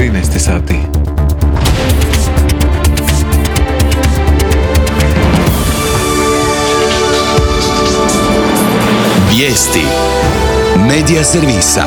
13 sati. Vijesti Medija servisa.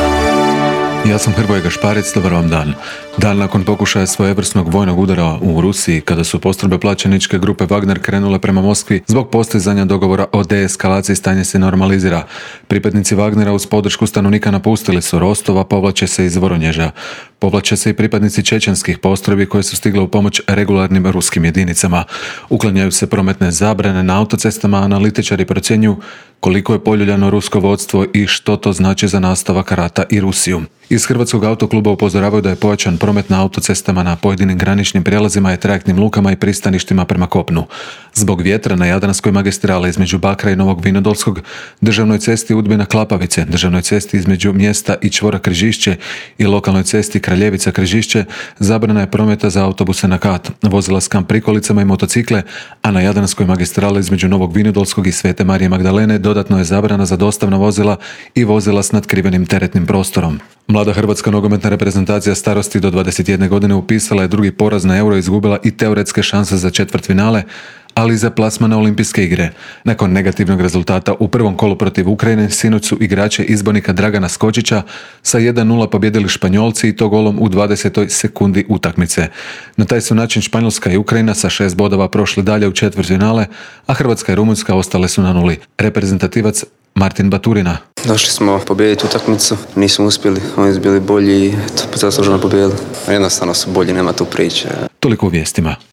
Ja sam Hrvoje Gašparec, dobar vam dan. Dan nakon pokušaja svojevrsnog vojnog udara u Rusiji, kada su postrojbe plaćeničke grupe Wagner krenule prema Moskvi, zbog postizanja dogovora o deeskalaciji stanje se normalizira. Pripadnici Wagnera uz podršku stanovnika napustili su Rostov, a povlače se iz Voronježa. Povlače se i pripadnici čečenskih postrojbi koje su stigle u pomoć regularnim ruskim jedinicama. Uklanjaju se prometne zabrane na autocestama, analitičari procjenjuju koliko je poljuljano rusko vodstvo i što to znači za nastavak rata i Rusiju. Iz Hrvatskog autokluba upozoravaju da je pojačan promet na autocestama na pojedinim graničnim prijelazima i trajektnim lukama i pristaništima prema kopnu. Zbog vjetra na Jadranskoj magistrali između Bakra i Novog Vinodolskog, državnoj cesti Udbina-Klapavice, državnoj cesti između mjesta i čvora Križišće i lokalnoj cesti Kraljevica-Križišće zabrana je prometa za autobuse na kat, vozila s kamp prikolicama i motocikle, a na Jadranskoj magistrali između Novog Vinodolskog i Svete Marije Magdalene dodatno je zabrana za dostavna vozila i vozila s natkrivenim teretnim prostorom. Mlada hrvatska nogometna reprezentacija starosti do 21 godine upisala je drugi poraz na Euro i izgubila i teoretske šanse za četvrtfinale, ali i za plasman na Olimpijske igre. Nakon negativnog rezultata u prvom kolu protiv Ukrajine, sinoć su igrače izbornika Dragana Skočića sa 1:0 pobjedili Španjolci i to golom u 20. sekundi utakmice. Na taj su način Španjolska i Ukrajina sa 6 bodova prošli dalje u četvrtfinale, a Hrvatska i Rumunjska ostale su na nuli. Reprezentativac Martin Baturina. Došli smo pobijediti utakmicu, nismo uspjeli, oni su bili bolji i zasluženo pobijedili. Jednostavno su bolji, nema tu priče. Toliko u vijestima.